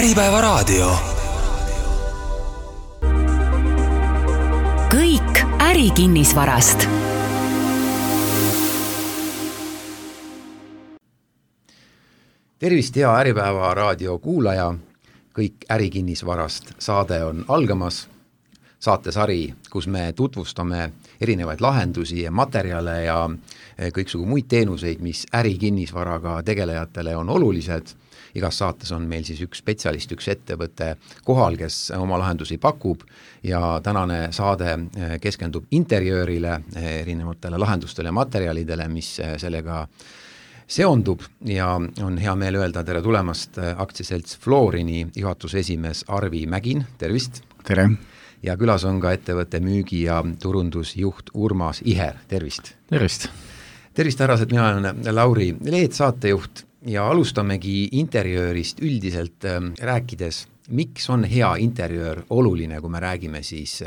Äripäevaraadio. Kõik ärikinnisvarast. Tervist, hea Äripäevaraadio kuulaja. Kõik ärikinnisvarast saade on algamas. Saatesari, kus me tutvustame erinevaid lahendusi ja materjale ja kõiksugu muid teenuseid, mis ärikinnisvaraga tegelejatele on olulised. Igas saates on meil siis üks spetsialist, üks ettevõte kohal, kes oma lahendusi pakub ja tänane saade keskendub interjöörile, erinevatele lahendustele ja materjalidele, mis sellega seondub ja on hea meel öelda tere tulemast aktsiaselts Florini juhatuse esimees Arvi Mägin, tervist! Tere! Ja külas on ka ettevõtte müügi- ja turundusjuht Urmas Iher, tervist! Tervist! Tervist, härrased, mina olen Lauri Leet, saatejuht ja alustamegi interjöörist üldiselt rääkides, miks on hea interjöör oluline, kui me räägime siis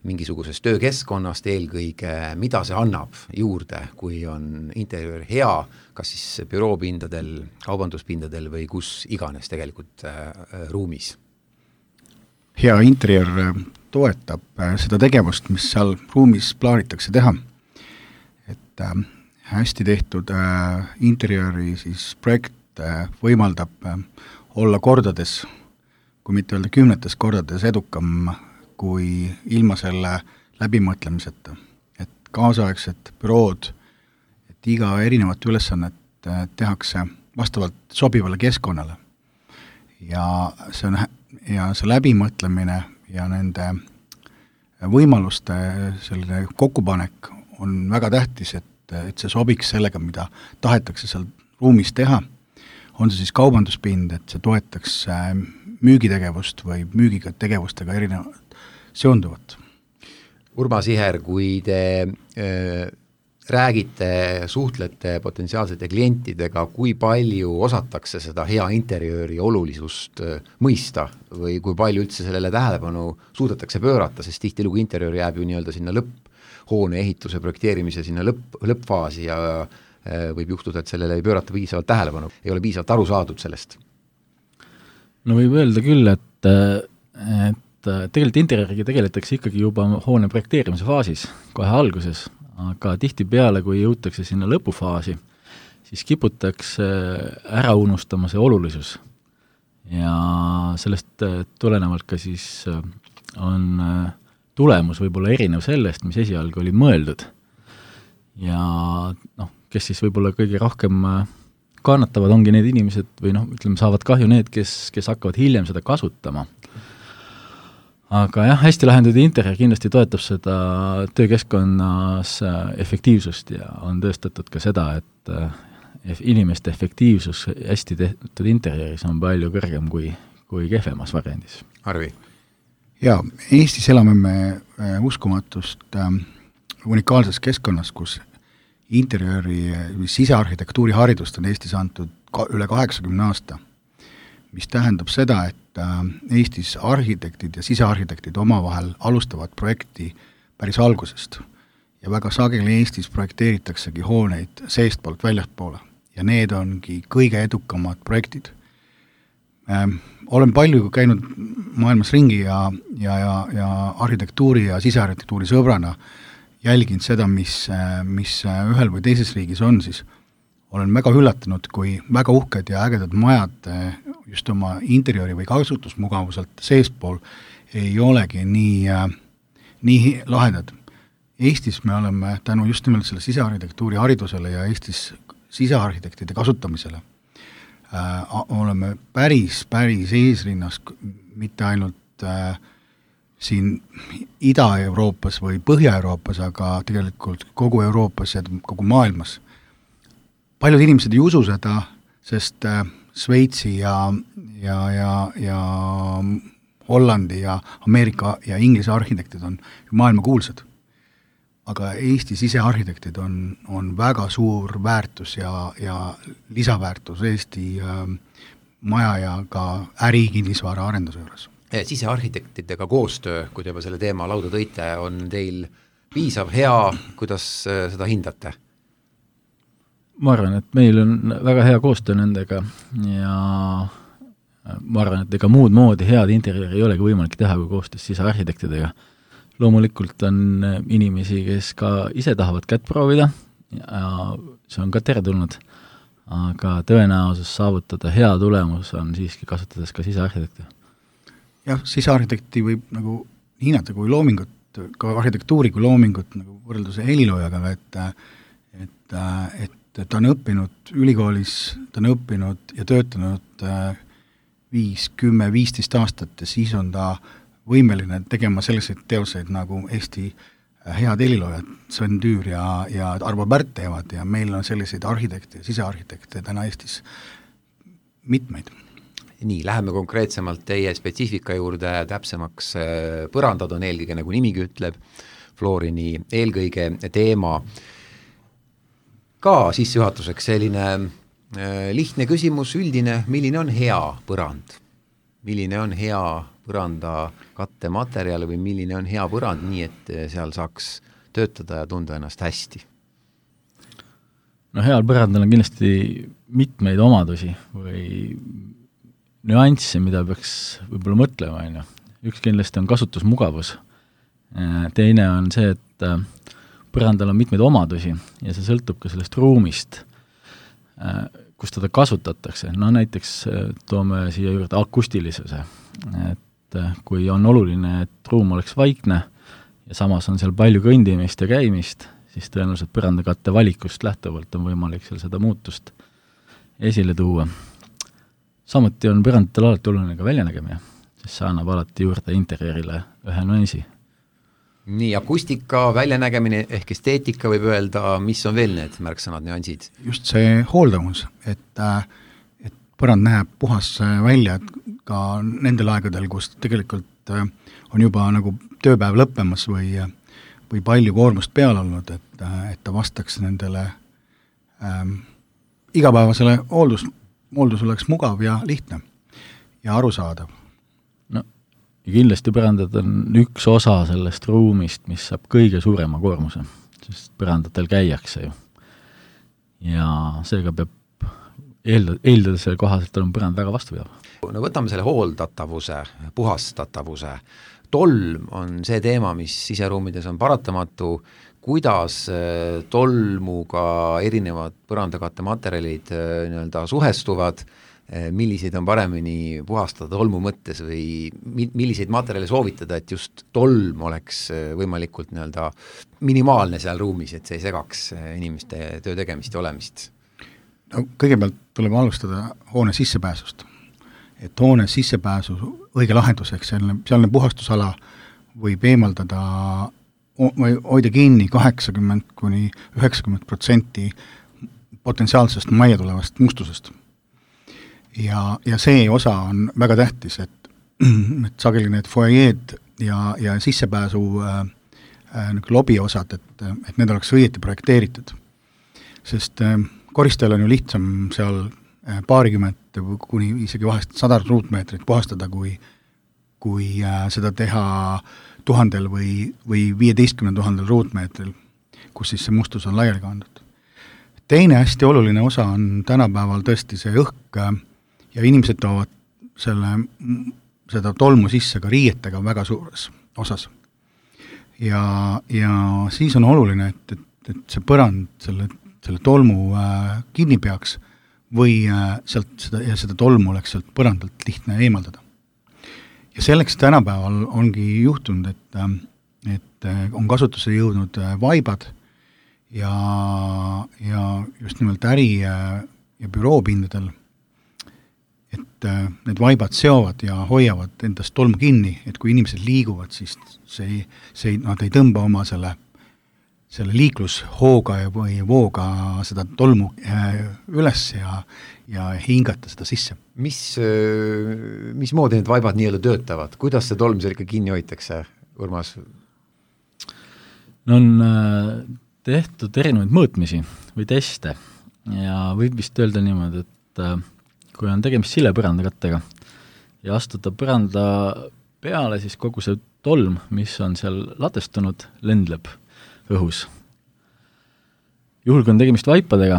mingisugusest töökeskkonnast eelkõige, mida see annab juurde, kui on interjöör hea, kas siis büroopindadel, kaubanduspindadel või kus iganes tegelikult ruumis? Hea interjöör toetab seda tegevust, mis seal ruumis plaanitakse teha. Et hästi tehtud interjööri siis projekt võimaldab olla kordades, kui mitte öelda 10 kordades edukam kui ilma selle läbimõtlemiseta. Et kaasaegsed bürood, et iga erinevat ülesannet tehakse vastavalt sobivale keskkonnale. Ja see läbimõtlemine ja nende võimaluste selline kokkupanek on väga tähtis, et see sobiks sellega, mida tahetakse seal ruumis teha. On see siis kaubanduspind, et see toetaks müügitegevust või müügitegevustega erinevat seonduvat. Urmas Iher, kui te räägite, suhtlete potentsiaalsete klientidega, kui palju osatakse seda hea interjööri olulisust mõista või kui palju üldse sellele tähelepanu suudetakse pöörata, sest tihtilugu interjöör jääb ju nii-öelda sinna lõpphoone ehituse projekteerimise sinna lõppfaasi ja võib juhtuda, et sellele ei pöörata piisavalt tähelepanu, ei ole piisavalt aru saadud sellest. No võib öelda küll, et tegelikult interjööriga tegeletakse ikkagi juba hoone projekteerimise faasis, kohe alguses, aga tihtipeale, kui jõutakse sinna lõpufaasi, siis kiputakse ära unustama see olulisus. Ja sellest tulenevalt ka siis on tulemus võib-olla erinev sellest, mis esialgu oli mõeldud. Ja kes siis võib-olla kõige rohkem kannatavad, ongi need inimesed või ütleme, saavad kahju need, kes hakkavad hiljem seda kasutama. Aga jah, hästi lahendatud interjöör kindlasti toetab seda töökeskkonnas efektiivsust ja on tõestatud ka seda, et inimeste efektiivsus hästi tehtud interjööris on palju kõrgem kui kehvemas variandis. Arvi? Ja, Eestis elame me uskumatust unikaalses keskkonnas, kus interjööri sisearhitektuuri haridust on Eestis antud üle 80 aasta, mis tähendab seda, et Eestis arhitektid ja sisearhitektid omavahel alustavad projekti päris algusest. Ja väga sageli Eestis projekteeritaksegi hooneid seestpoolt väljastpoole. Ja need ongi kõige edukamad projektid. Olen palju käinud maailmas ringi ja arhitektuuri ja sisearhitektuuri sõbrana jälginud seda, mis ühel või teises riigis on, siis olen väga üllatunud, kui väga uhked ja ägedad majad just oma interjööri või kasutusmugavuselt seespool ei olegi nii lahedad. Eestis me oleme tänu just nimelt selle sisearhitektuuri haridusele ja Eestis sisearhitektide kasutamisele oleme päris eesrinnas, mitte ainult siin Ida-Euroopas või Põhja-Euroopas, aga tegelikult kogu Euroopas ja kogu maailmas. Paljud inimesed ei usu seda, sest Šveitsi ja Hollandi ja Ameerika ja Inglise arhitektid on maailma kuulsad. Aga Eesti sisearhitektid on väga suur väärtus ja lisaväärtus Eesti maja ja ka ärikinnisvara arenduse juures. Sisearhitektidega koostöö, kui te juba selle teema lauda tõite, on teil piisav, hea, kuidas seda hindate? Ma arvan, et meil on väga hea koostöö nendega ja ma arvan, et ega muud moodi head interjööri ei olegi võimalik teha kui koostöös sisearhitektidega. Loomulikult on inimesi, kes ka ise tahavad kätt proovida ja see on ka teretulnud, aga tõenäosus saavutada hea tulemus on siiski kasutades ka sisearhitekti. Jah, sisearhitekti võib nagu hinnata kui loomingut, ka arhitektuuri kui loomingut nagu võrrelduse heliloojaga, et ta on õppinud ülikoolis, ta on õppinud ja töötanud 5, 10, 15 aastat ja siis on ta võimeline tegema selliseid teoseid nagu Eesti head heliloojad, Sven Tüür ja Arvo Pärt teevad ja meil on selliseid arhitekte ja sisearhitekte täna Eestis mitmeid. Nii, läheme konkreetsemalt teie spetsiifika juurde täpsemaks. Põrandad on eelkõige, nagu nimigi ütleb, Florini eelkõige teema. Ka sissejuhatuseks selline lihtne küsimus, üldine, milline on hea põrand? Milline on hea põranda kattematerjal või milline on hea põrand nii, et seal saaks töötada ja tunda ennast hästi? No heal põrandal on kindlasti mitmeid omadusi või nüansse, mida peaks võib-olla mõtlema. Üks kindlasti on kasutusmugavus. Teine on see, et põrandal on mitmeid omadusi ja see sõltub ka sellest ruumist, kus teda kasutatakse. No näiteks toome siia juurde akustilisuse, et kui on oluline, et ruum oleks vaikne ja samas on seal palju kõndimist ja käimist, siis tõenäoliselt põrandakatte valikust lähtuvalt on võimalik seal seda muutust esile tuua. Samuti on põrandatel alati oluline ka väljanägemine, sest see annab alati juurde interjöörile ühe nüansi. Nii, akustika, väljanägemine ehk esteetika võib öelda, mis on veel need märksõnad, nüansid? Just see hooldavus, et põrand näeb puhas välja ka nendel aegadel, kus tegelikult on juba nagu tööpäev lõppemas või palju koormust peal olnud, et ta vastaks nendele igapäevasele hooldus oleks mugav ja lihtne ja arusaadav. Ja kindlasti põrandad on üks osa sellest ruumist, mis saab kõige suurema koormuse, sest põrandatel käiakse ju. Ja seega peab eeldada selle kohaselt on põrand väga vastupidav. No võtame selle hooldatavuse, puhastatavuse. Tolm on see teema, mis siseruumides on paratamatu. Kuidas tolmuga erinevad põrandakatte materjalid nii-öelda suhestuvad, milliseid on paremini puhastada tolmu mõttes või milliseid materjale soovitada, et just tolm oleks võimalikult nii-öelda minimaalne seal ruumis, et see ei segaks inimeste töö tegemist ja olemist? No, kõigepealt tuleb alustada hoone sissepääsust. Et hoone sissepääsu õige lahenduseks, sealne puhastusala võib eemaldada või hoida kinni 80–90% potentsiaalsest majja tulevast mustusest. Ja see osa on väga tähtis, et sageli need foajeed ja sissepääsu lobiosad, et need oleks õieti projekteeritud. Sest koristajal on ju lihtsam seal paarikümmet kuni isegi vahest 100 ruutmeetrit puhastada, kui seda teha 1000 või 15 000 ruutmeetril, kus siis see mustus on laiali kandud. Teine hästi oluline osa on tänapäeval tõesti see õhk ja inimesed toovad seda tolmu sisse ka riietega väga suures osas. Ja siis on oluline, et see põrand selle tolmu kinni peaks või seda tolmu oleks sealt põrandalt lihtne eemaldada. Ja selleks tänapäeval ongi juhtunud, et on kasutusse jõudnud vaibad ja just nimelt äri- ja büroopindadel, et need vaibad seovad ja hoiavad endast tolmu kinni, et kui inimesed liiguvad, siis nad ei tõmba oma selle liiklushooga või vooga seda tolmu üles ja hingata seda sisse. Mismoodi need vaibad nii-öelda töötavad? Kuidas see tolm seal ikka kinni hoitakse, Urmas? No on tehtud erinevaid mõõtmisi või teste ja võib vist öelda niimoodi, et kui on tegemist silepõrandakattega ja astuda põranda peale, siis kogu see tolm, mis on seal latestunud, lendleb õhus. Juhul, kui on tegemist vaipadega,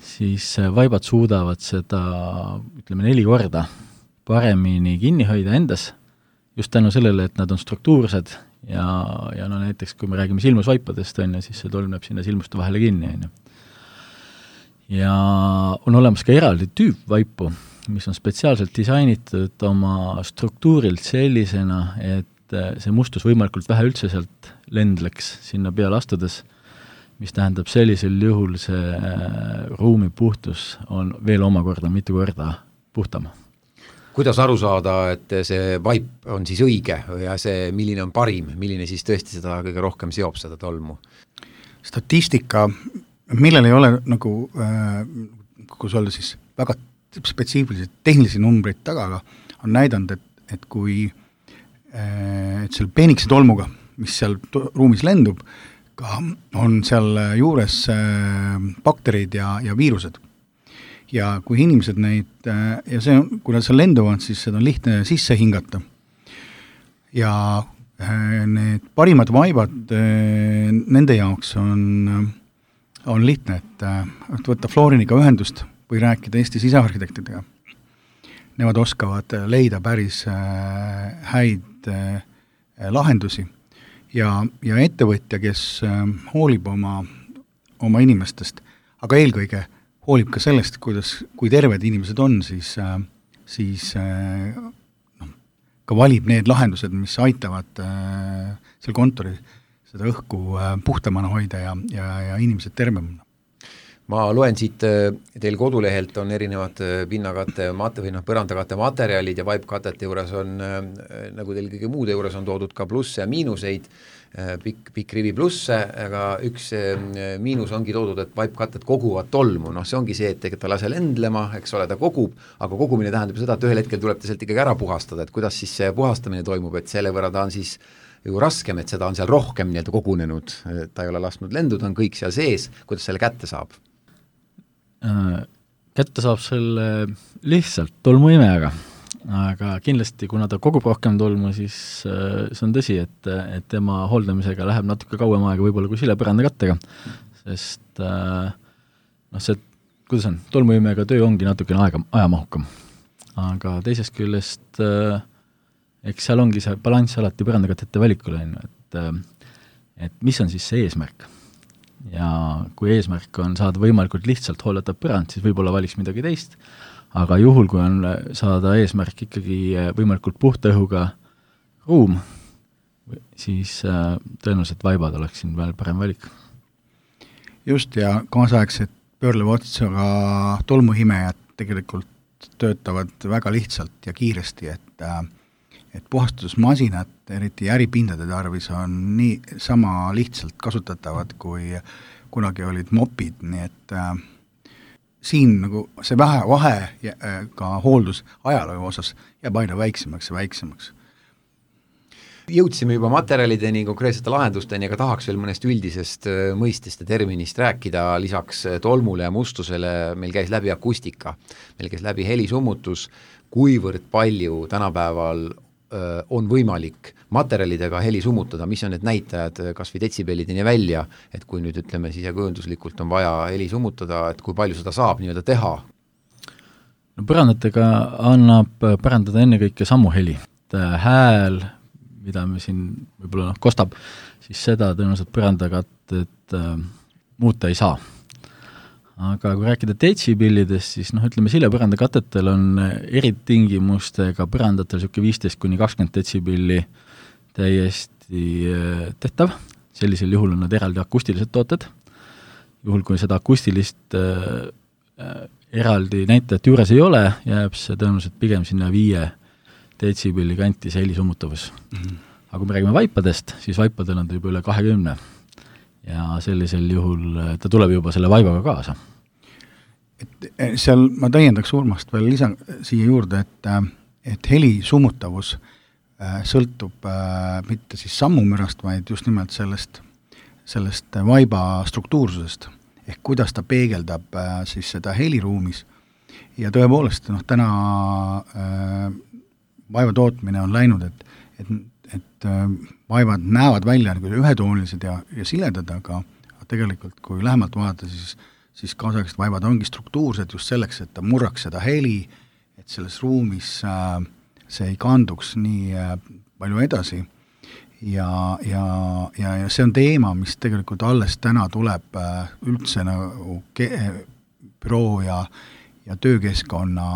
siis vaibad suudavad seda, 4 korda paremini kinni hoida endas, just tänu sellele, et nad on struktuursed ja no näiteks, kui me räägime silmusvaipadest, on ju, siis see tolm läheb sinna silmuste vahele kinni, on ju. Ja on olemas ka eraldi tüüpvaipu, mis on spetsiaalselt disainitud oma struktuurilt sellisena, et see mustus võimalikult vähe üldse sealt lendleks sinna peale astudes, mis tähendab sellisel juhul see ruumi puhtus on veel omakorda mitu korda puhtam. Kuidas aru saada, et see vaip on siis õige ja see, milline on parim, milline siis tõesti seda kõige rohkem seob seda tolmu? Statistika, millel ei ole nagu, kus olla siis väga spetsiifilised tehnilisi numbreid taga, on näidanud, et kui et seal peenikse tolmuga, mis seal ruumis lendub, ka on seal juures bakterid ja viirused. Ja kui inimesed neid, ja see, kui nad seal lenduvad, siis seda on lihtne sisse hingata. Ja need parimad vaibad nende jaoks on lihtne, et võtta Floriniga ühendust või rääkida Eesti sisearhitektidega. Nemad oskavad leida päris häid lahendusi ja ettevõtja, kes hoolib oma inimestest, aga eelkõige hoolib ka sellest, kui terved inimesed on, siis ka valib need lahendused, mis aitavad seal kontori seda õhku puhtamana hoida ja inimesed tervemana. Ma loen siit, teil kodulehelt on erinevad pinnakate, põrandakate materjalid ja vaipkatete juures on, nagu teil kõige muude juures on toodud ka plusse ja miinuseid, pikk rivi plusse, aga üks miinus ongi toodud, et vaipkatted koguvad tolmu, see ongi see, et ta lase lendlema, eks ole, ta kogub, aga kogumine tähendab seda, et ühel hetkel tuleb ta sealt ikkagi ära puhastada, et kuidas siis see puhastamine toimub, et selle võrra ta on siis ju raskem, et seda on seal rohkem nii-öelda kogunenud, ta ei ole lasknud lenduda, on kõik seal sees, kuidas selle kätte saab? Kätte saab selle lihtsalt tolmuimejaga, aga kindlasti, kuna ta kogub rohkem tolmu, siis see on tõsi, et tema hooldamisega läheb natuke kauem aega võib-olla kui silepõrandakattega, sest see, kuidas on, tolmuimejaga töö ongi natukene ajamahukam. Aga teisest küljest eks seal ongi see balanss alati põrandakattete valikule, et mis on siis see eesmärk. Ja kui eesmärk on saada võimalikult lihtsalt hooldatav põrand, siis võib-olla valiks midagi teist, aga juhul, kui on saada eesmärk ikkagi võimalikult puhta õhuga ruum, siis tõenäoliselt vaibad oleks siin veel parem valik. Just, ja kaasaegsed pöörleva otsaga tolmuhimejad tegelikult töötavad väga lihtsalt ja kiiresti, et puhastusmasinad, eriti äripindade tarvis, on nii sama lihtsalt kasutatavad, kui kunagi olid mopid, nii et siin nagu see vahe ka hooldus ajaloo osas jääb aina väiksemaks ja väiksemaks. Jõudsime juba materjalideni, konkreetsete lahendusteni, aga tahaks veel mõnest üldisest mõistest ja terminist rääkida, lisaks tolmule ja mustusele meil käis läbi akustika, meil käis läbi helisummutus, kuivõrd palju tänapäeval on võimalik materjalidega heli summutada, mis on need näitajad kas või detsibellideni välja, et kui nüüd ütleme sisekujunduslikult on vaja heli summutada, et kui palju seda saab nii-öelda teha? No põrandatega annab pärandada ennekõike sammuheli. Hääl, mida me siin võib-olla kostab, siis seda tõenäoliselt põrandakatted muuta ei saa. Aga kui rääkida detsibillidest, siis ütleme, silepõrandakatetel on eritingimustega põrandatel 15-20 detsibilli täiesti tehtav. Sellisel juhul on nad eraldi akustilised tooted. Juhul, kui seda akustilist eraldi näitajat juures ei ole, jääb see tõenäoliselt pigem sinna 5 detsibilli kanti see helisummutavus. Aga kui me räägime vaipadest, siis vaipadel on ta juba üle 20. Ja sellisel juhul ta tuleb juba selle vaibaga kaasa. Et seal ma täiendaks Urmast veel siia juurde, et heli summutavus sõltub mitte siis sammumürast, vaid just nimelt sellest vaiba struktuursusest, ehk kuidas ta peegeldab siis seda heliruumis. Ja tõepoolest, täna vaiba tootmine on läinud, et vaivad näevad välja ühetoonilised ja siledad, aga tegelikult kui lähemalt vaadata, siis kaasaegsed vaivad ongi struktuursed just selleks, et ta murraks seda heli, et et selles ruumis see ei kanduks nii palju edasi ja see on teema, mis tegelikult alles täna tuleb üldse nagu büroo ja töökeskkonna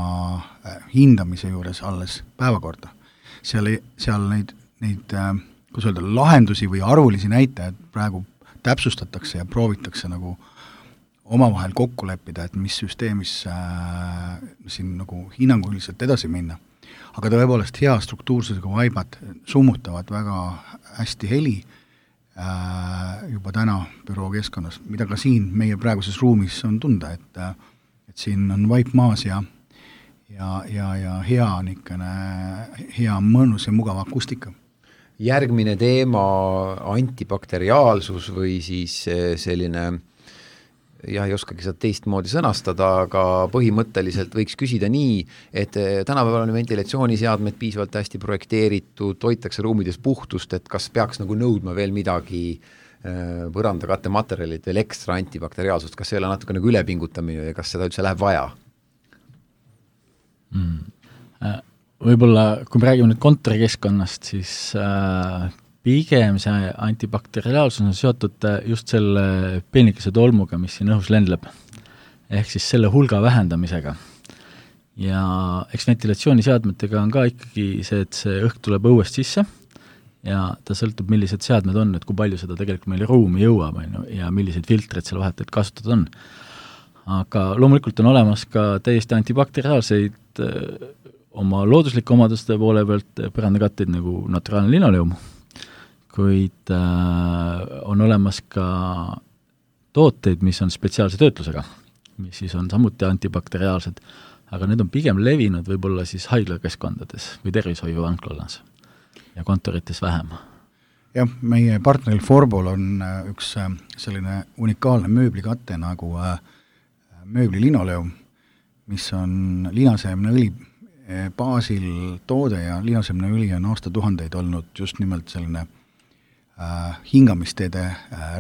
hindamise juures alles päevakorda. Seal neid kuidas öelda, lahendusi või arvulisi näitajaid praegu täpsustatakse ja proovitakse nagu omavahel kokku leppida, et mis süsteemis siin nagu hinnanguliselt edasi minna. Aga tõepoolest hea struktuursusega vaibad summutavad väga hästi heli juba täna büroo keskkonnas, mida ka siin meie praeguses ruumis on tunda, et siin on vaip maas ja hea niisugune hea mõnus ja mugav akustika. Järgmine teema antibakteriaalsus või siis selline, ei oskagi seda teistmoodi sõnastada, aga põhimõtteliselt võiks küsida nii, et tänapäeval on ventilatsiooniseadmed piisavalt hästi projekteeritud, hoitakse ruumides puhtust, et kas peaks nagu nõudma veel midagi põrandakattematerjalid veel ekstra antibakteriaalsust, kas see ei ole natuke nagu ülepingutamine ja kas seda üldse läheb vaja? Võib-olla, kui me räägime nüüd kontorikeskkonnast, siis pigem see antibakteriaalsus on seotud just selle peenikese tolmuga, mis siin õhus lendleb, ehk siis selle hulga vähendamisega. Ja eks ventilatsiooniseadmetega on ka ikkagi see, et see õhk tuleb õuest sisse ja ta sõltub, millised seadmed on, et kui palju seda tegelikult meile ruumi jõuab ja milliseid filtreid seal vahetult kasutada on. Aga loomulikult on olemas ka täiesti antibakteriaalseid oma looduslike omaduste poole pealt põrandakatteid nagu naturaalne linoleum, kuid on olemas ka tooteid, mis on spetsiaalse töötlusega, mis siis on samuti antibakteriaalsed, aga need on pigem levinud võib-olla siis haiglakeskkondades või tervishoiuvanklas ja kontorites vähem. Jah, meie partneril Forbol on üks selline unikaalne mööblikatte nagu mööblilinoleum, mis on linaseemneõli baasil toode ja linaseemneõli on aastatuhandeid olnud just nimelt selline hingamisteede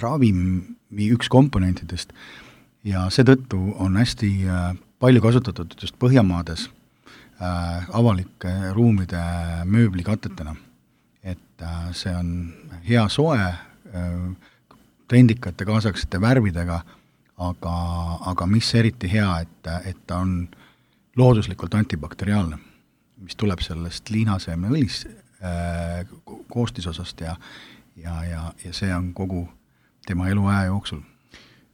ravimi üks komponentidest ja seetõttu on hästi palju kasutatud just Põhjamaades avalike ruumide mööblikatetena. Et see on hea soe, trendikate kaasaksete värvidega, aga mis eriti hea, et ta on looduslikult antibakteriaalne, mis tuleb sellest liinaseemneõlis koostisosast ja see on kogu tema eluaja jooksul.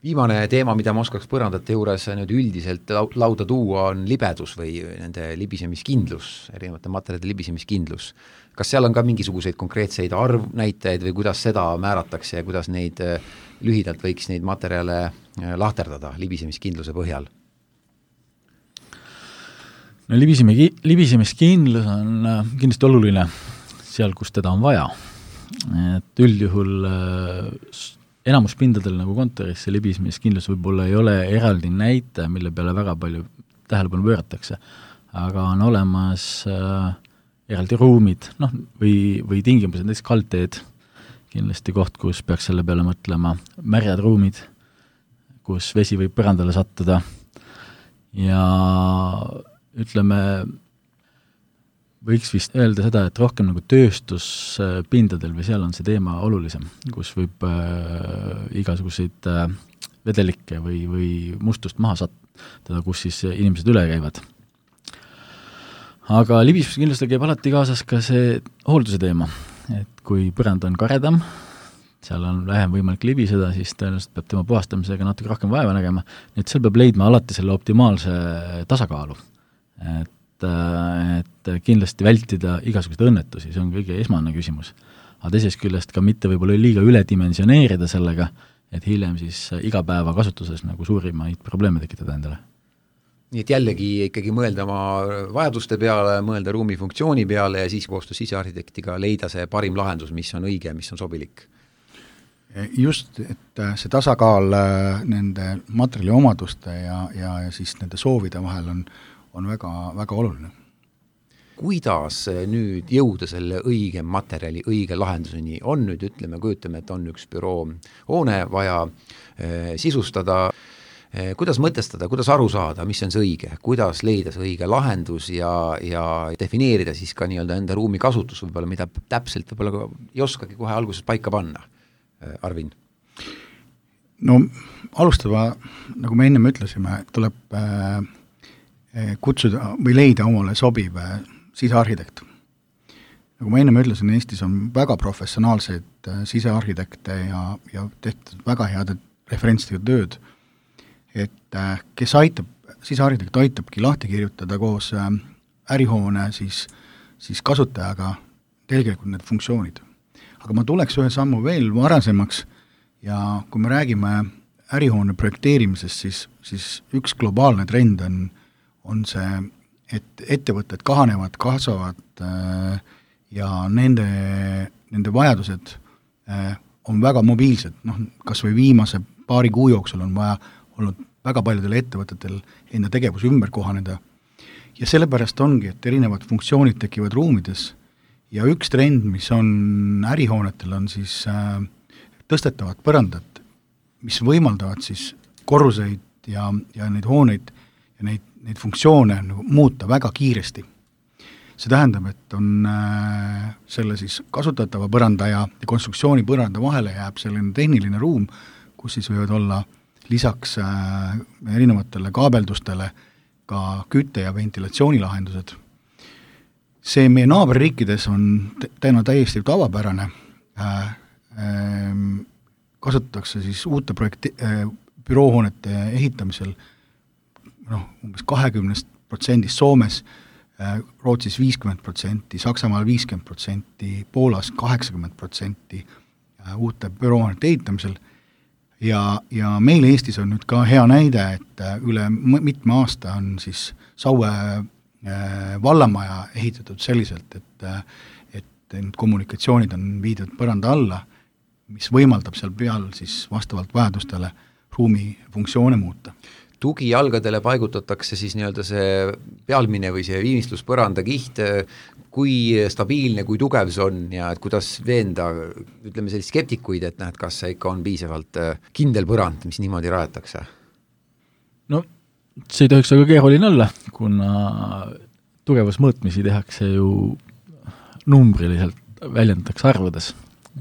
Viimane teema, mida ma oskaks põrandate juures nüüd üldiselt lauda tuua, on libedus või nende libisemiskindlus, erinevate materjalide libisemiskindlus. Kas seal on ka mingisuguseid konkreetseid arvnäitajaid või kuidas seda määratakse ja kuidas neid lühidalt võiks neid materjale lahterdada libisemiskindluse põhjal? No libisemiskindlus on kindlasti oluline seal, kus teda on vaja. Et üldjuhul enamus pindadel nagu kontoris see libisemiskindlus võib-olla ei ole eraldi näite, mille peale väga palju tähelepanu pööratakse, aga on olemas eraldi ruumid, või tingimused, näiteks kaldteed, kindlasti koht, kus peaks selle peale mõtlema, märjad ruumid, kus vesi võib põrandale sattuda ja ütleme, võiks vist öelda seda, et rohkem nagu tööstuspindadel või seal on see teema olulisem, kus võib igasuguseid vedelikke või mustust maha sattada, kus siis inimesed üle käivad. Aga libisemiskindlustel käib alati kaasas ka see hoolduse teema, et kui põrand on karedam, seal on vähem võimalik libiseda, siis tõenäoliselt peab tema puhastamisega natuke rohkem vaeva nägema, nii et seal peab leidma alati selle optimaalse tasakaalu. Et kindlasti vältida igasuguseid õnnetusi, see on kõige esmane küsimus. Aga teisest küljest ka mitte võib-olla liiga üledimensioneerida sellega, et hiljem siis igapäeva kasutuses nagu suurimaid probleeme tekitada endale. Nii et jällegi ikkagi mõelda oma vajaduste peale, mõelda ruumi funktsiooni peale ja siis koostöös sisearhitektiga leida see parim lahendus, mis on õige, mis on sobilik. Just, et see tasakaal nende materjali omaduste ja siis nende soovide vahel on väga, väga oluline. Kuidas nüüd jõuda selle õige materjali, õige lahenduseni? On nüüd, kujutame, et on üks büroo hoone vaja sisustada, kuidas mõtestada, kuidas aru saada, mis on see õige, kuidas leida see õige lahendus ja defineerida siis ka nii-öelda enda ruumi kasutus võib-olla, mida täpselt võib-olla ei oskagi kohe alguses paika panna, Arvin? No alustada, nagu me ennem ütlesime, tuleb kutsuda või leida omale sobiv sisearhitekt. Nagu ma ennem ütlesin, Eestis on väga professionaalseid sisearhitekte ja tehtud väga head referentsidega tööd, et kes sisearhitekt aitabki lahti kirjutada koos ärihoone siis kasutajaga tegelikult need funktsioonid. Aga ma tuleks ühe sammu veel varasemaks ja kui me räägime ärihoone projekteerimisest, siis üks globaalne trend on see, et ettevõtted kahanevad, kasvavad ja nende vajadused on väga mobiilsed, kas või viimase paari kuu jooksul on vaja olnud väga paljudel ettevõtetel enda tegevus ümber kohaneda. Ja sellepärast ongi, et erinevad funktsioonid tekivad ruumides ja üks trend, mis on ärihoonetel, on siis tõstetavad põrandad, mis võimaldavad siis korruseid ja neid hooneid ja neid funktsioone muuta väga kiiresti. See tähendab, et on selle siis kasutatava põranda ja konstruktsiooni põranda vahele jääb selline tehniline ruum, kus siis võivad olla lisaks erinevatele kaabeldustele ka kütte- ja ventilatsioonilahendused. See meie naaberriikides on täiesti tavapärane. Kasutatakse siis uute büroohoonete ehitamisel umbes 20% Soomes, Rootsis 50%, Saksamaal 50%, Poolas 80% uute büroohoonete ehitamisel. Ja meil Eestis on nüüd ka hea näide, et üle mitme aasta on siis Saue vallamaja ehitatud selliselt, et need kommunikatsioonid on viidud põranda alla, mis võimaldab seal peal siis vastavalt vajadustele ruumi funktsioone muuta. Tugijalgadele paigutatakse siis nii-öelda see pealmine või see viimistluspõranda kiht, kui stabiilne, kui tugev see on ja et kuidas veenda, ütleme sellist skeptikuid, et näed, kas see ikka on piisavalt kindel põrand, mis niimoodi rajatakse? No see ei tohiks aga keeruline olla, kuna tugevusmõõtmisi tehakse ju numbriliselt, väljendatakse arvudes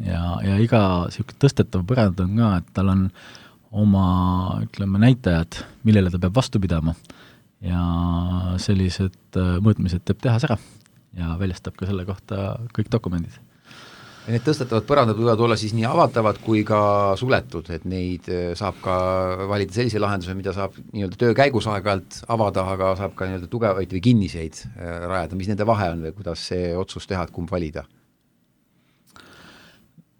ja iga niisugune tõstetav põrand on ka, et tal on oma, ütleme, näitajad, millele ta peab vastu pidama ja sellised mõõtmised teeb tehas ära ja väljastab ka selle kohta kõik dokumendid. Ja need tõstetavad põrandad võivad olla siis nii avatavad kui ka suletud, et neid saab ka valida sellise lahenduse, mida saab nii-öelda töö käigus aeg-ajalt avada, aga saab ka nii-öelda tugevaid või kinniseid rajada, mis nende vahe on või kuidas see otsus teha, et kumb valida?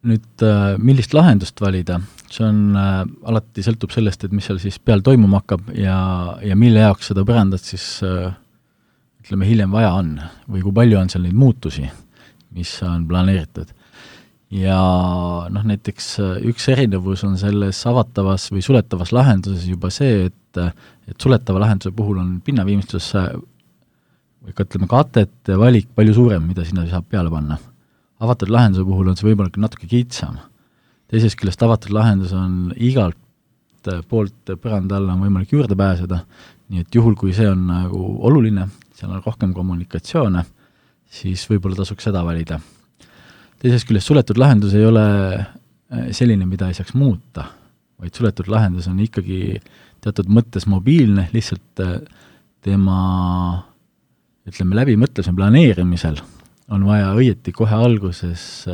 Nüüd, millist lahendust valida, see on alati sõltub sellest, et mis seal siis peal toimuma hakkab ja mille jaoks seda põrandat siis ütleme hiljem vaja on või kui palju on seal neid muutusi, mis on planeeritud. Ja näiteks üks erinevus on selles avatavas või suletavas lahenduses juba see, et suletava lahenduse puhul on pinnaviimistluses või ka ütleme katete valik palju suurem, mida sinna saab peale panna. Avatud lahenduse puhul on see võimalik natuke kitsam. Teisest küljest avatud lahendus on igalt poolt põranda alla on võimalik juurde pääseda, nii et juhul, kui see on nagu oluline, seal on rohkem kommunikatsioone, siis võib-olla tasuks seda valida. Teisest küljest suletud lahendus ei ole selline, mida ei saaks muuta, vaid suletud lahendus on ikkagi teatud mõttes mobiilne, lihtsalt tema ütleme läbimõtlemise planeerimisel on vaja õieti kohe alguses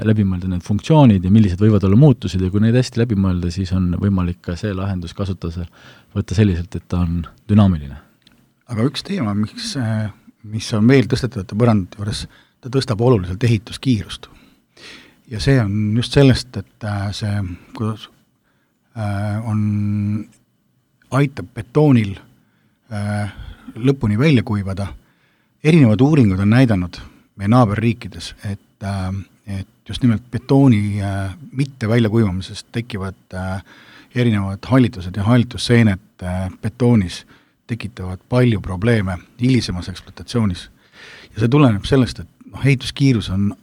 läbi mõelda need funktsioonid ja millised võivad olla muutused ja kui neid hästi läbi mõelda, siis on võimalik ka see lahendus kasutada, võtta selliselt, et ta on dünaamiline. Aga üks teema, mis on veel tõstetavate põrandate juures, ta tõstab oluliselt ehituskiirust. Ja see on just sellest, et see kuidas aitab betoonil lõpuni välja kuivada. Erinevad uuringud on näidanud meie naaberriikides, et just nimelt betooni mitte väljakuivamisest tekivad erinevad hallitused ja hallitusseened betoonis tekitavad palju probleeme hilisemas ekspluatatsioonis. Ja see tuleneb sellest, et ehituskiirus on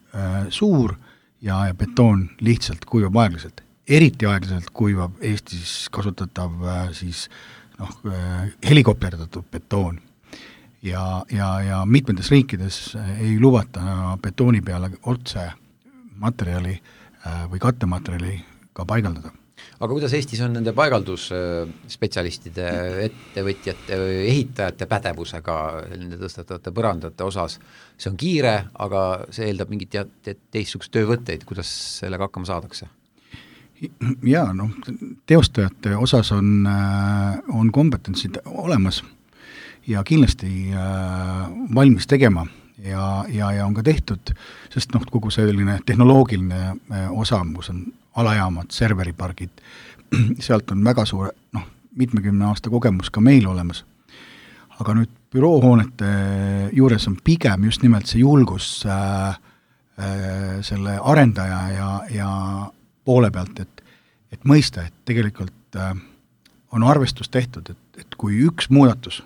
suur ja betoon lihtsalt kuivab aeglaselt. eriti aeglaselt kuivab Eestis kasutatav siis helikopterdatud betoon. Ja mitmetes riikides ei lubata betooni peale otse materjali või kattematerjali ka paigaldada. Aga kuidas Eestis on nende paigaldusspetsialistide, ettevõtjate, ehitajate pädevusega nende tõstatavate põrandate osas? See on kiire, aga see eeldab mingit teistsugust töövõtteid, kuidas sellega hakkama saadakse? Jaa, teostajate osas on kompetentsid olemas ja kindlasti valmis tegema ja on ka tehtud, sest kogu selline tehnoloogiline osa, kus on alajaamad, serveripargid, sealt on väga suure, mitmekümne aasta kogemus ka meil olemas. Aga nüüd büroohoonete juures on pigem just nimelt see julgus selle arendaja ja poole pealt, et mõista, et tegelikult on arvestus tehtud, et kui üks muudatus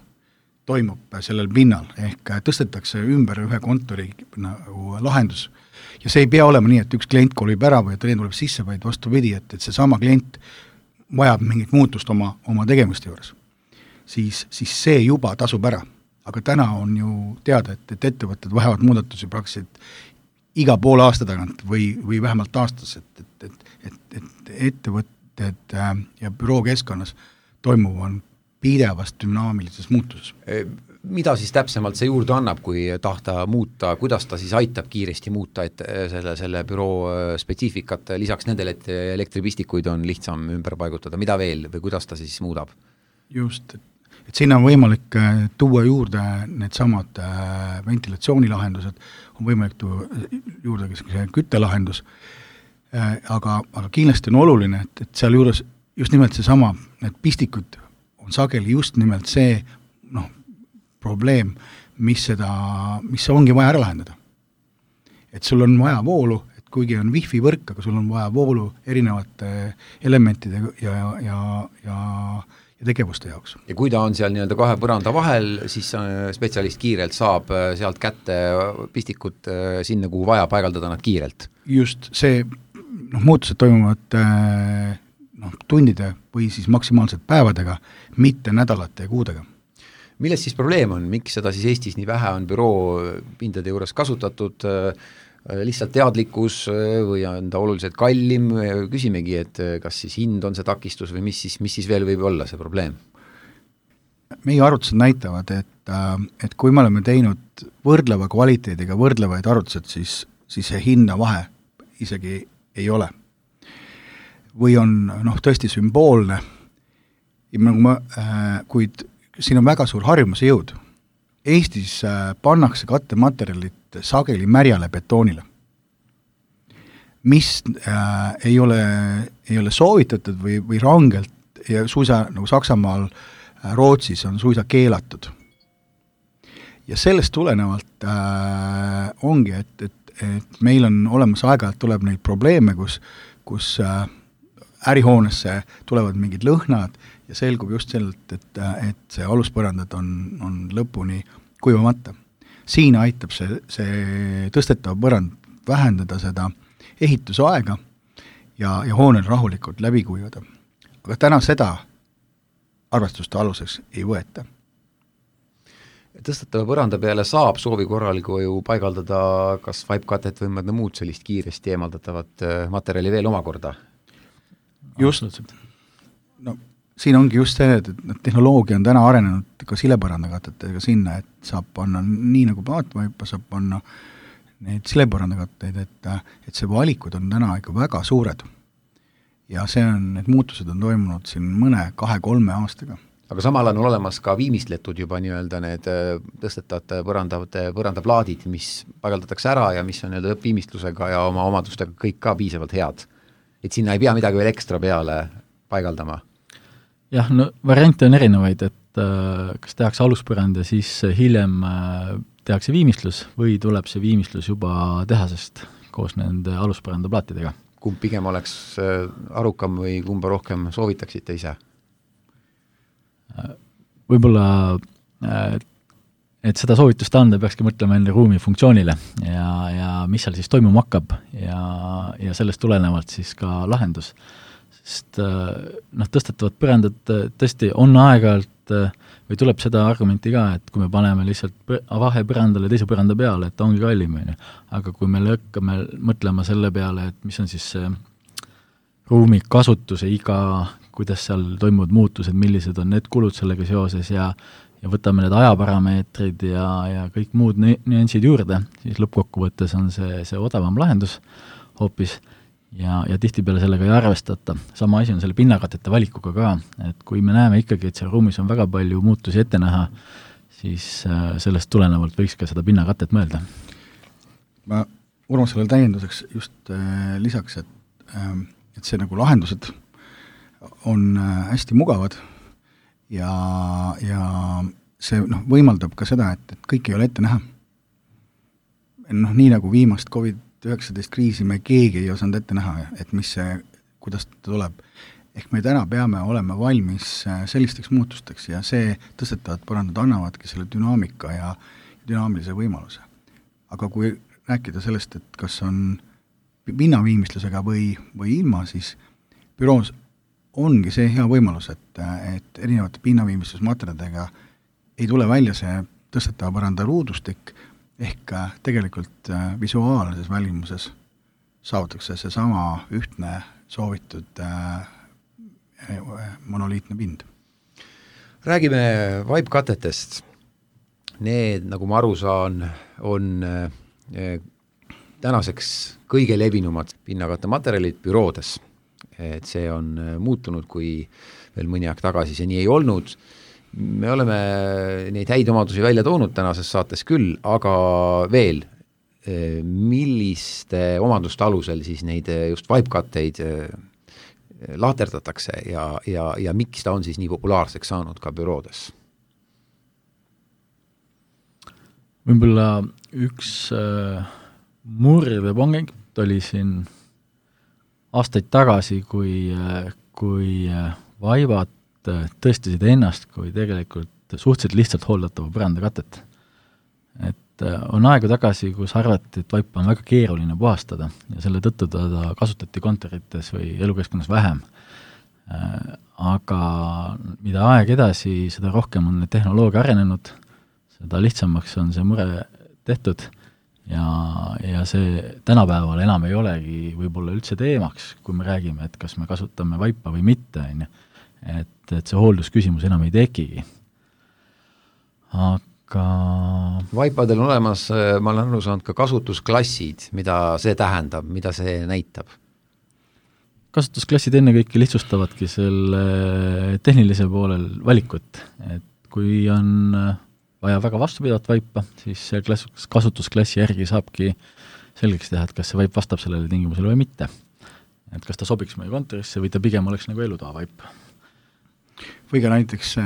toimub sellel pinnal, ehk tõstetakse ümber ühe kontori lahendus. Ja see ei pea olema nii, et üks klient kolib ära või teine tuleb sisse, vaid vastupidi, et see sama klient vajab mingit muutust oma tegemiste juures. Siis see juba tasub ära. Aga täna on ju teada, et ettevõtted vajavad muudatusi praktiliselt iga poole aasta tagant või vähemalt aastas, et ettevõtted ja bürookeskkonnas toimuv on pidevas dünaamilises muutuses. Mida siis täpsemalt see juurde annab, kui tahta muuta, kuidas ta siis aitab kiiresti muuta, et selle büroo spetsiifikat lisaks nendele, et elektripistikuid on lihtsam ümber paigutada, mida veel või kuidas ta siis muudab? Just, et sinna on võimalik tuua juurde need samad ventilatsioonilahendused, on võimalik tuua juurde küttelahendus, aga kindlasti on oluline, et seal juures just nimelt see sama, need pistikud on sageli just nimelt see probleem, mis ongi vaja ära lahendada. Et sul on vaja voolu, et kuigi on wifi võrk, aga sul on vaja voolu erinevate elementide ja tegevuste jaoks. Ja kui ta on seal nii-öelda kahe põranda vahel, siis spetsialist kiirelt saab sealt kätte pistikut sinna, kuhu vaja paigaldada nad kiirelt. Just see, muutused toimuvad tundide või siis maksimaalselt päevadega, mitte nädalate ja kuudega. Milles siis probleem on? Miks seda siis Eestis nii vähe on büroo pindade juures kasutatud? Lihtsalt teadlikkus või on ta oluliselt kallim? Küsimegi, et kas siis hind on see takistus või mis siis veel võib olla see probleem? Meie arvutused näitavad, et kui me oleme teinud võrdleva kvaliteediga võrdlevaid arvutused, siis see hinna vahe isegi ei ole. Või on tõesti sümboolne, kuid siin on väga suur harjumuse jõud. Eestis pannakse kattematerjalid sageli märjale betoonile, mis ei ole soovitatud või rangelt ja suisa nagu Saksamaal, Rootsis on suisa keelatud. Ja sellest tulenevalt ongi, et meil on olemas aeg-ajalt tuleb neid probleeme, kus ärihoonesse tulevad mingid lõhnad ja selgub just sellelt, et see aluspõrandad on lõpuni kuivamata. Siin aitab see tõstetav põrand vähendada seda ehitusaega ja hoonel rahulikult läbi kuivada. Aga täna seda arvestuste aluseks ei võeta. Tõstetava põranda peale saab soovi korral, kui ju paigaldada kas vaipkatet või mõnda muud sellist kiiresti eemaldatavat materjali veel omakorda? Just, siin ongi just see, et tehnoloogia on täna arenenud ka silepõrandakatetega sinna, et saab panna nii nagu paatvaipa, saab panna neid silepõrandakatteid, et see valikud on täna ikka väga suured. Ja need muutused on toimunud siin mõne 2-3 aastaga. Aga samal on olemas ka viimistletud juba nii-öelda need tõstetavad põrandaplaadid, mis paigaldatakse ära ja mis on nii-öelda lõppviimistlusega ja oma omadustega kõik ka piisavalt head. Et sinna ei pea midagi veel ekstra peale paigaldama? Jah, variante on erinevaid, et kas tehakse aluspõrand ja siis hiljem tehakse viimistlus või tuleb see viimistlus juba tehasest koos nende aluspõrandaplaatidega. Kumb pigem oleks arukam või kumba rohkem soovitaksite ise? Võib-olla, et seda soovitust anda, peakski mõtlema enne ruumi funktsioonile ja mis seal siis toimuma hakkab ja sellest tulenevalt siis ka lahendus. sest tõstetavad põrandad tõesti on aeg-ajalt või tuleb seda argumenti ka, et kui me paneme lihtsalt vahepõrandale teise põranda peale, et ta ongi kallim, aga kui me hakkame mõtlema selle peale, et mis on siis see ruumi kasutuse iga, kuidas seal toimuvad muutused, millised on need kulud sellega seoses ja võtame need ajaparameetrid ja kõik muud nüansid juurde, siis lõppkokkuvõttes on see odavam lahendus hoopis ja tihtipeale sellega ei arvestata. Sama asi on selle pinnakatete valikuga ka, et kui me näeme ikkagi, et seal ruumis on väga palju muutusi ette näha, siis sellest tulenevalt võiks ka seda pinnakatet mõelda. Ma Urmasele täienduseks just lisaks, et see nagu lahendused on hästi mugavad ja see võimaldab ka seda, et kõik ei ole ette näha. Nii nagu viimast COVID-19 kriisi me keegi ei osanud ette näha, et kuidas ta tuleb. Ehk me täna peame olema valmis sellisteks muutusteks ja see tõstetavad põrandad annavadki selle dünaamika ja dünaamilise võimaluse. Aga kui rääkida sellest, et kas on pinnaviimistlusega või ilma, siis büroos ongi see hea võimalus, et erinevate pinnaviimistlusmaterjadega ei tule välja see tõstetava põranda ruudustik, ehk tegelikult visuaalses välimuses saavutatakse see sama ühtne soovitud monoliitne pind. Räägime vaipkatetest. Need, nagu ma aru saan, on tänaseks kõige levinumad pinnakatte materjalid büroodes. Et see on muutunud, kui veel mõni aeg tagasi see nii ei olnud. Me oleme neid häid omadusi välja toonud tänases saates küll, aga veel, milliste omaduste alusel siis neid just vaipkatteid lahterdatakse ja miks ta on siis nii populaarseks saanud ka büroodes? Võib-olla üks murdepunkt oli siin aastaid tagasi, kui vaibad tõestisid ennast kui tegelikult suhteliselt lihtsalt hooldatava põrandakatet. Et on aegu tagasi, kus arvati, et vaipa on väga keeruline puhastada ja selle tõttu ta kasutati kontorites või elukeskkonnas vähem. Aga mida aeg edasi, seda rohkem on tehnoloogia arenenud, seda lihtsamaks on see mure tehtud ja see tänapäeval enam ei olegi võib-olla üldse teemaks, kui me räägime, et kas me kasutame vaipa või mitte, et see hooldusküsimus enam ei tekigi. Aga vaipadel on olemas, ma olen aru saanud, ka kasutusklassid, mida see tähendab, mida see näitab? Kasutusklassid ennekõike lihtsustavadki selle tehnilise poolel valikut, et kui on vaja väga vastupidavat vaipa, siis see kasutusklassi järgi saabki selgeks teha, et kas see vaip vastab sellele tingimusele või mitte. Et kas ta sobiks meie kontorisse või ta pigem oleks nagu elutoa vaip. Või ka näiteks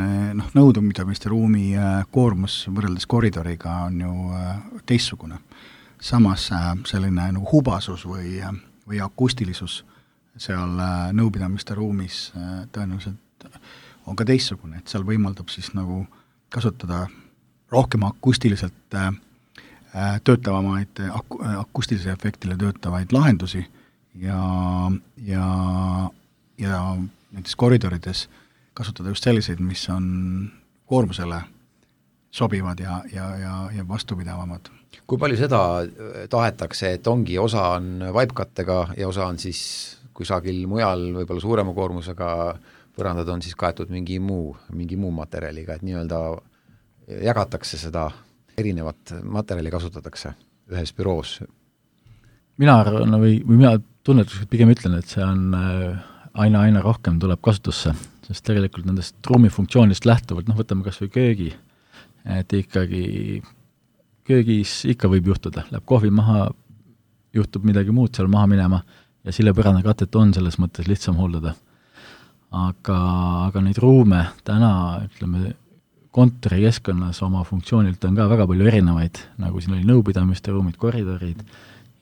nõudumidamiste ruumi koormus võrreldes koridoriga on ju teistsugune. Samas selline nagu hubasus või akustilisus seal nõupidamiste ruumis tõenäoliselt on ka teistsugune, et seal võimaldab siis nagu kasutada rohkem akustiliselt töötavamaid, akustilise efektile töötavaid lahendusi ja näiteks koridorides kasutada just selliseid, mis on koormusele sobivad ja vastupidavamad. Kui palju seda tahetakse, et ongi osa on vaipkattega ja osa on siis kusagil mujal võib-olla suurema koormusega põrandad on siis kaetud mingi muu materjaliga, et nii-öelda jagatakse seda, erinevat materjali kasutatakse ühes büroos? Mina arvan või mina tunnetuslikult pigem ütlen, et see on aina rohkem tuleb kasutusse, sest tegelikult nendest ruumifunktsioonist lähtuvalt, võtame kas või köögi, et ikkagi köögis ikka võib juhtuda, läheb kohvi maha, juhtub midagi muud seal maha minema ja sille põrandakatet on selles mõttes lihtsam hooldada. Aga neid ruume täna, ütleme, kontori keskkonnas oma funktsioonilt on ka väga palju erinevaid, nagu siin oli nõupidamiste ruumid, koridorid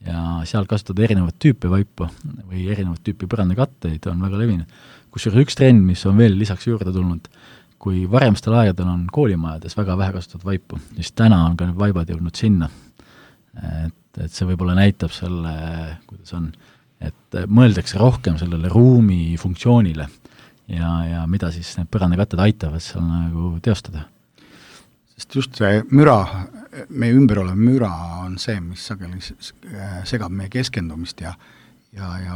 ja seal kasutada erinevat tüüpi vaipu või erinevat tüüpi põrandakatteid on väga levinud. Kusjuures üks trend, mis on veel lisaks juurde tulnud, kui varemstel aegadel on koolimajades väga vähe kasutatud vaipu, siis täna on ka need vaibad jõudnud sinna. Et see võib-olla näitab selle, kuidas on et mõeldakse rohkem sellele ruumi funktsioonile ja mida siis need põrandakatted aitavad seal nagu teostada. Sest just see müra, meie ümber olev müra on see, mis sageli segab meie keskendumist ja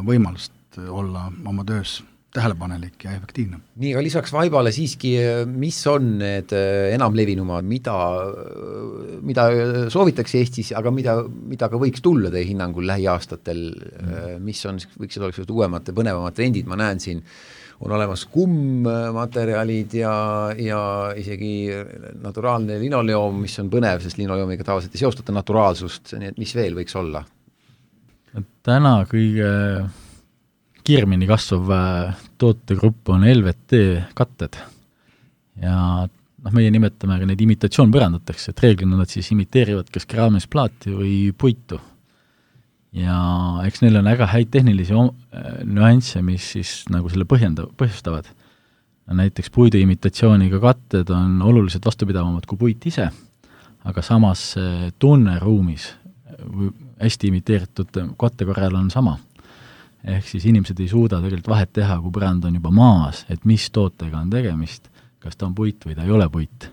võimalust olla oma töös tähelepanelik ja efektiivne. Nii, aga lisaks vaibale siiski, mis on need enamlevinumad, mida soovitakse Eestis, aga mida ka võiks tulla teie hinnangul lähiaastatel, mis on, võiksid oleks uuemad, põnevamad trendid, ma näen siin, on olemas kummmaterjalid ja isegi naturaalne linoleum, mis on põnev, sest linoleumiga tavaliselt ei seostata naturaalsust, nii et mis veel võiks olla? Täna kõige kiiremini kasvav tootegrupp on LVT katted ja meie nimetame ka neid imitatsioonpõrandateks, et reeglina nad siis imiteerivad kas keraamisplaati või puitu. Ja eks neil on väga häid tehnilisi nüansse, mis siis nagu selle põhjustavad. Näiteks puidu imitatsiooniga katted on oluliselt vastupidavamad kui puit ise, aga samas tunne ruumis hästi imiteeritud katte korral on sama. Ehk siis inimesed ei suuda tegelikult vahet teha, kui põrand on juba maas, et mis tootega on tegemist, kas ta on puit või ta ei ole puit.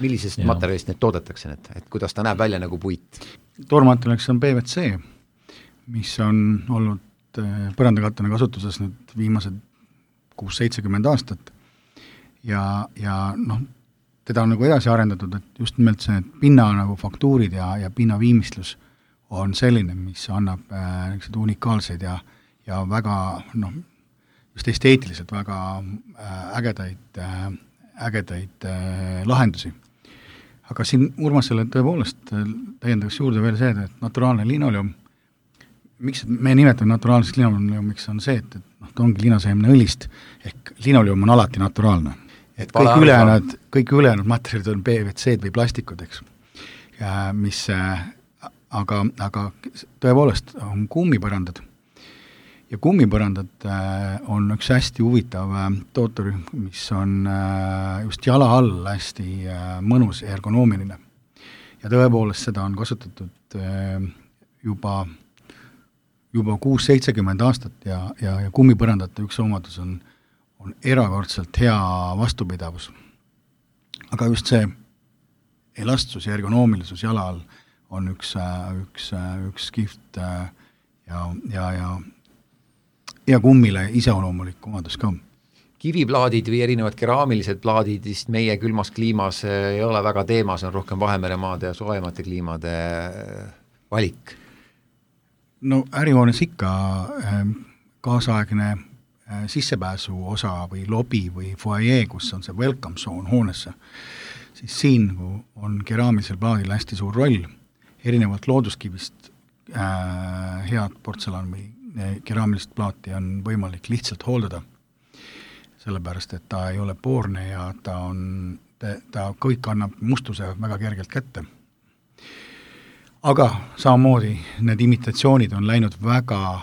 Millisest materjalist need toodetakse, et kuidas ta näeb välja nagu puit? Toormaterjaliks on PVC, mis on olnud põrandakattena kasutuses nüüd viimased 6-70 aastat ja teda on nagu edasi arendatud, et just nimelt see pinna nagu faktuurid ja pinna viimistlus on selline, mis annab unikaalseid ja väga, just esteetiliselt väga ägedaid lahendusi. Aga siin Urmasele tõepoolest täiendaks juurde veel see, et naturaalne linoleum, miks me nimetame naturaalseks linoleumiks on see, et ta ongi linaseemne õlist, ehk linoleum on alati naturaalne. Et kõik ülejäänud materjalid on PVC või plastikud, eks. Aga tõepoolest on kummipõrandad. Ja kummipõrandad on üks hästi huvitav tootorühm, mis on just jala all hästi mõnus ja ergonoomiline. Ja tõepoolest seda on kasutatud juba 6-70 aastat ja kummipõrandate üks omadus on erakordselt hea vastupidavus. Aga just see elastsus ja ergonoomilisus jala all on üks kihvt ja kummile iseoloomulik omadus ka. Kiviplaadid või erinevad keraamilised plaadid vist meie külmas kliimas ei ole väga teemas, on rohkem Vahemeremaade ja soojemate kliimade valik. No ärihoones ikka kaasaegne sissepääsu osa või lobi või foyer, kus on see welcome zone hoonesse, siis siin on keraamilisel plaadil hästi suur roll, erinevalt looduskivist head portselan või keraamilist plaati on võimalik lihtsalt hooldada, sellepärast, et ta ei ole poorne ja ta kõik annab mustuse väga kergelt kätte. Aga samamoodi need imitatsioonid on läinud väga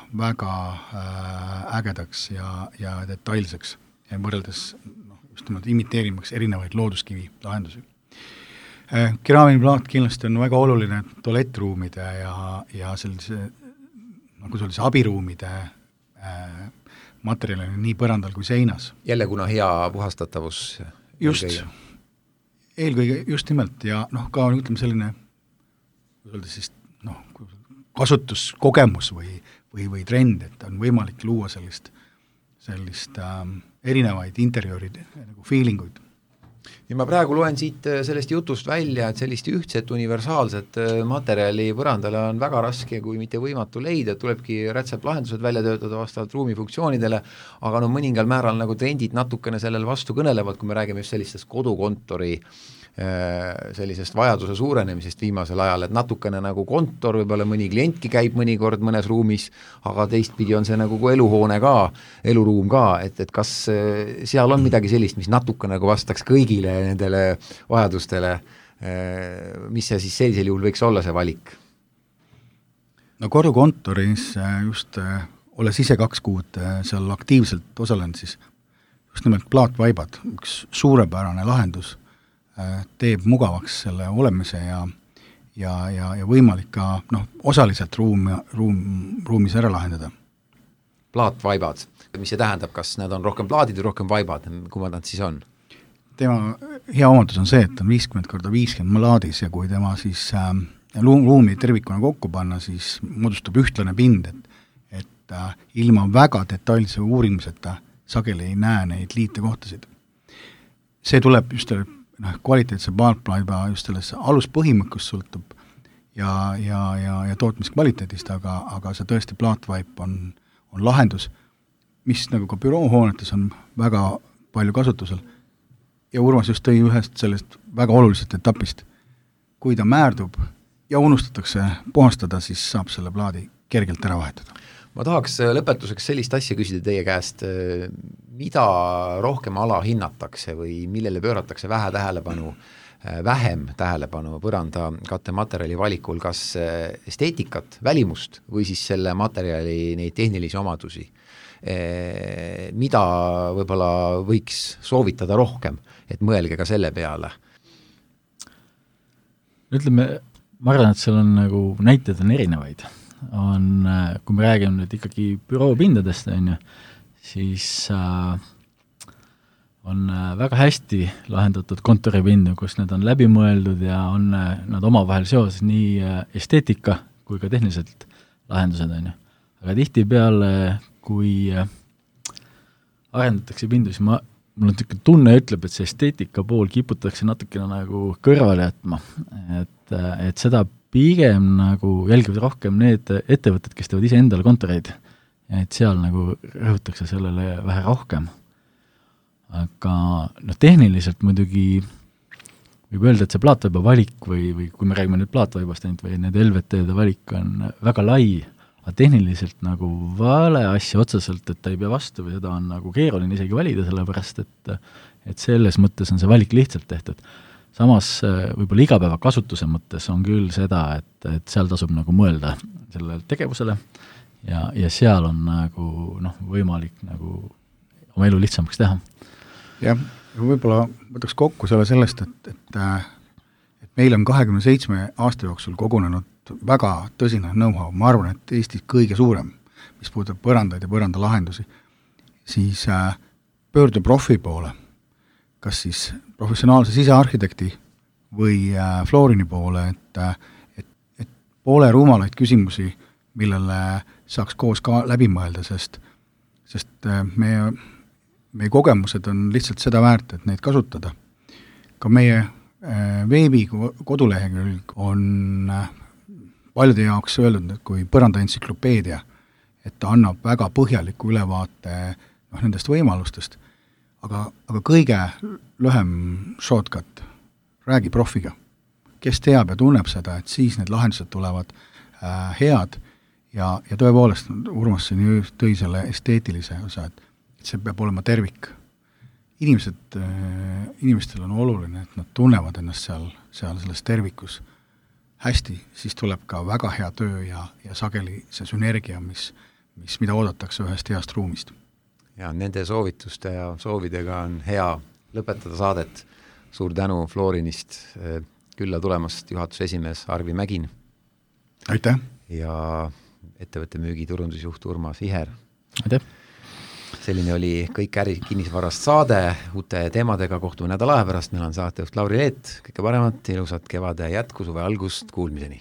ägedaks ja detailseks ja võrreldes just nimelt imiteerimaks erinevaid looduskivi lahendusi. Keraamiline plaat kindlasti on väga oluline tualettruumide ja sellise nagu sellise abiruumide materjalina nii põrandal kui seinas. Jälle kuna hea puhastatavus. Just, eelkõige just nimelt ja ka ütleme selline siis, kasutuskogemus või trend, et on võimalik luua sellist erinevaid interjööride nagu feelinguid. Ja ma praegu loen siit sellest jutust välja, et sellist ühtset universaalset materjali põrandale on väga raske, kui mitte võimatu leida, tulebki rätseplahendused välja töötada vastavalt ruumi funktsioonidele, aga mõningal määral nagu trendid natukene sellel vastu kõnelevad, kui me räägime just sellistest kodukontori sellisest vajaduse suurenemisest viimasel ajal, et natukene nagu kontor, võib-olla mõni klientki käib mõnikord mõnes ruumis, aga teistpidi on see nagu eluhoone ka, eluruum ka, et kas seal on midagi sellist, mis natuke nagu vastaks kõigile nendele vajadustele, mis see siis sellisel juhul võiks olla see valik? No kodukontoris just olles ise 2 kuud seal aktiivselt osalenud, siis just nimelt plaatvaibad, üks suurepärane lahendus, teeb mugavaks selle olemise ja võimalik ka osaliselt ruumis ära lahendada. plaatvaibad, mis see tähendab, kas need on rohkem plaadid või rohkem vaibad, kumad nad siis on? Tema hea omadus on see, et on 50x50 plaadis ja kui tema siis ruumi tervikuna kokku panna, siis moodustub ühtlane pind, et ilma väga detailse uurimiseta sageli ei näe neid liitekohtasid. See tuleb just kvaliteetse plaatplaiba just selles aluspõhimõkkust sõltub ja tootmiskvaliteedist, aga see tõesti plaatvaip on lahendus, mis nagu ka büroohoonetes on väga palju kasutusel. Ja Urmas just tõi ühest sellest väga olulisest etapist. Kui ta määrdub ja unustatakse puhastada, siis saab selle plaadi kergelt ära vahetada. Ma tahaks lõpetuseks sellist asja küsida teie käest, mida rohkem ala hinnatakse või millele pööratakse vähem tähelepanu põranda kattematerjali valikul, kas esteetikat, välimust või siis selle materjali neid tehnilisi omadusi, mida võib-olla võiks soovitada rohkem, et mõelge ka selle peale? Ütleme, ma arvan, et seal on nagu näited on erinevaid. Kui me räägime nüüd ikkagi büroopindadest, siis on väga hästi lahendatud kontoripindu, kus need on läbimõeldud ja on nad omavahel seoses nii esteetika kui ka tehniliselt lahendused. Aga tihtipeale, kui arendatakse pindu, siis mul on tunne ütleb, et see esteetika pool kiputakse natukene nagu kõrvale jätma, et seda pigem nagu jälgivad rohkem need ettevõtted, kes teevad ise endale kontoreid, et seal nagu rõhutakse sellele vähe rohkem. Aga tehniliselt muidugi võib öelda, et see plaatvaiba valik või kui me räägime nüüd plaatvaibast või need LVT-de valik on väga lai, aga tehniliselt nagu vale asja otseselt, et ta ei pea vastu või seda on nagu keeruline isegi valida, sellepärast et selles mõttes on see valik lihtsalt tehtud. Samas võib-olla igapäeva kasutuse mõttes on küll seda, et seal tasub nagu mõelda sellele tegevusele ja seal on nagu võimalik nagu oma elu lihtsamaks teha. Jah, võib-olla võtaks kokku sellest, et meil on 27 aasta jooksul kogunenud väga tõsine know-how, ma arvan, et Eestis kõige suurem, mis puudutab põrandaid ja põrandalahendusi, siis pöördu profi poole, kas siis professionaalse sisearhitekti või Florini poole, et poole rumalaid küsimusi, millele saaks koos ka läbi mõelda, sest meie kogemused on lihtsalt seda väärt, et neid kasutada. Ka meie veebi kodulehekülg on paljude jaoks öeldud, et kui põranda entsüklopeedia, et ta annab väga põhjaliku ülevaate nendest võimalustest, aga kõige lühem shortcut, räägi profiga, kes teab ja tunneb seda, et siis need lahendused tulevad head ja tõepoolest Urmas siin tõi selle esteetilise osa, et see peab olema tervik. Inimestel on oluline, et nad tunnevad ennast seal selles tervikus hästi, siis tuleb ka väga hea töö ja sageli see sünergia, mida oodatakse ühest heast ruumist. Ja nende soovituste ja soovidega on hea lõpetada saadet. Suur tänu Florinist külla tulemast juhatuse esimees Arvi Mägin. Aitäh! Ja ettevõtte müügiturundusjuht Urmas Iher. Aitäh! Selline oli kõik ärikinnisvarast saade, uute teemadega kohtume nädala aja pärast, meil on saatejuht Lauri Leet, kõike paremat, ilusat kevade jätku, suve algust, kuulmiseni!